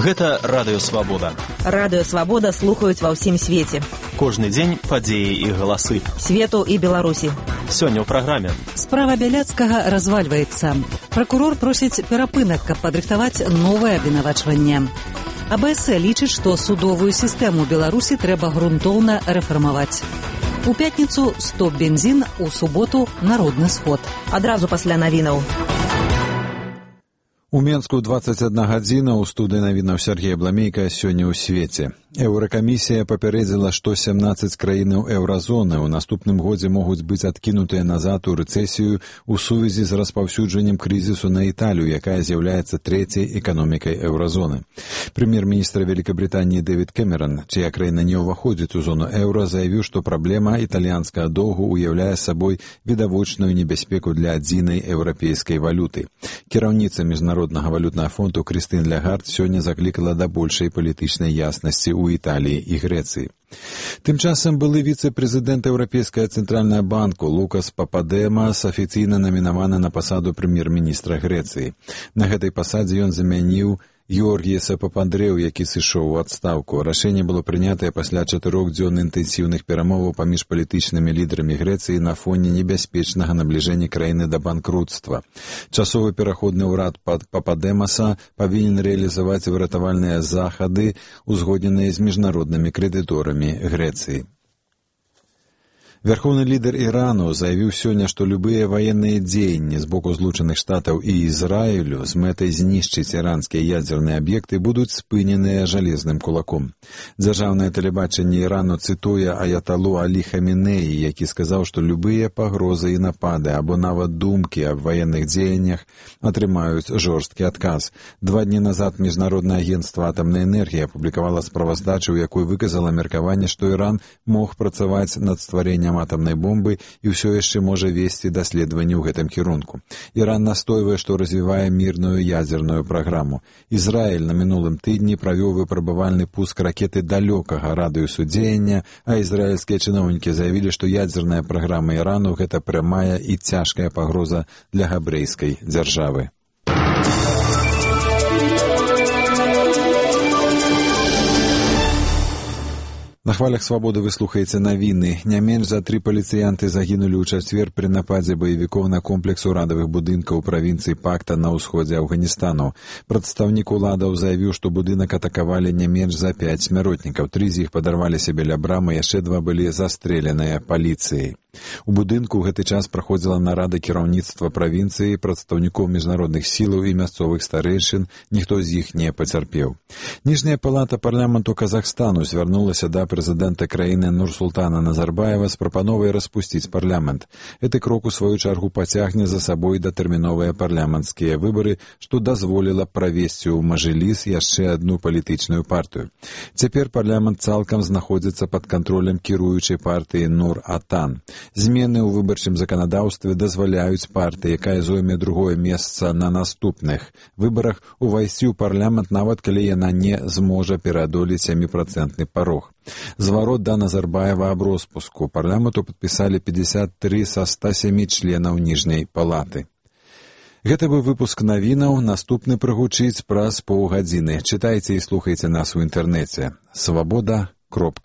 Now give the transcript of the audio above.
Гэта Радыё Свабода. Радыё Свабода слухаюць ва ўсім свеце. Кожны дзень падзеі і галасы. Свету і Беларусі. Сёння ў праграме. Справа Бяляцкага развальваецца. Пракурор просіць перапынак, каб падрыхтаваць новае абвінавачванне. АБС лічыць, што судовую сістэму Беларусі трэба грунтоўна рэфармаваць. У пятніцу стоп бензін, у суботу народны сход. Адразу пасля навінаў. У Менску 21 гадзіна, у студыі навінаў Сергей Бламейка сёння ў свеце. Еўракамісія папярэдзіла, што 17 краінаў еўразоны ў наступным годзе могуць быць адкінутыя назад у рэцэсію ў сувязі з распаўсюджаннем крызісу на Італію, якая з'яўляецца трэцяй эканомікай еўразоны. Прэм'ер-міністр Великабрытаніі Дэвід Кэмерон, чыя краіна не ўваходзіць у зону еўра, заявіў, што праблема італьянскага доўгу ўяўляе сабой відавочную небяспеку для адзінай еўрапейскай валюты. Кіраўніца Міжнароднага валютнага фонду Крыстын Лягард сёння заклікала да большай палітычнай яснасці ў Італіі і Грэцыі. Тым часам былы віцэ-прэзідэнт Еўрапейскага цэнтральнага банку Лукас Пападэмас афіцыйна намінаваны на пасаду прэм'ер-міністра Грэцыі. На гэтай пасадзе ён замяніў Георгіеса Папандрэу, які сышоў у адстаўку. Рашэнне было прынятае пасля 4-дзённых інтэнсіўных перамоваў паміж палітычнымі лідарамі Грэцыі на фоне небяспечнага набліжэння краіны да банкруцтва. Часовы пераходны ўрад Пападэмаса павінен рэалізаваць выратавальныя захады, узгодненыя з міжнароднымі крэдыторамі Грэцыі. Вярхоўны лідар Ірану заявіў сёння, што любыя ваенныя дзеянні з боку Злучаных Штатаў і Ізраілю з мэтай знішчыць іранскія ядзерныя аб'екты будуць спыненыя жалезным кулаком. Дзяржаўнае тэлебачанне Ірану цытуе аяталу Алі Хамінеі, які сказаў, што любыя пагрозы і напады або нават думкі аб ваенных дзеяннях атрымаюць жорсткі адказ. 2 дні назад Міжнароднае агенцтва атамнай энергіі апублікавала справаздачу, у якой выказала меркаванне, што Іран мог працаваць над стварэннем атамнай бомбы і ўсё яшчэ можа весці даследаванні ў гэтым кірунку. Іран настойвае, што развівае мірную ядзерную праграму. Ізраіль на мінулым тыдні правёў выпрабавальны пуск ракеты далёкага радыусу дзеяння, а ізраільскія чыноўнікі заявілі, што ядзерная праграма Ірану гэта прямая і цяжкая пагроза для габрэйскай дзяржавы. На хвалях Свабоды вы слухаеце навіны. Не менш за 3 паліцыянты загінулі ў чацвер пры нападзе баевікоў на комплекс урадавых будынкаў у правінцыі Пакта на ўсходзе Афганістану. Прадстаўнік уладаў заявіў, што будынак атакавалі не менш за 5 смяротнікаў. 3 з іх падарваліся біля брамы, яшчэ 2 былі застрэленыя паліцыяй. У будынку ў гэты час праходзіла нарада кіраўніцтва правінцыі, прадстаўнікоў міжнародных сілаў і мясцовых старэйшын, ніхто з іх не пацярпеў. Ніжняя палата парламенту Казахстану звярнулася да прэзідэнта краіны Нурсултана Назарбаева з прапановай распусціць парламент. Гэты крок у сваю чаргу пацягне за сабой датэрміновыя парламенцкія выбары, што дазволіла правесці ў Мажыліс яшчэ адну палітычную партыю. Цяпер парламент цалкам знаходзіцца пад кантролем кіруючай партыі Нур-Атан. Змены ў выбарчым заканадаўстве дазваляюць партыі, якая зойме другое месца на наступных выбарах, увайсці ў парламент, нават калі яна не зможа пераадолець 7% парог. Зварот да Назарбаева аб роспуску парламенту падпісалі 53 са 107 членаў ніжняй палаты. Гэта быў выпуск навінаў, наступны прагучыць праз паўгадзіны. Чытайце і слухайце нас у інтэрнэце. Свабода.орг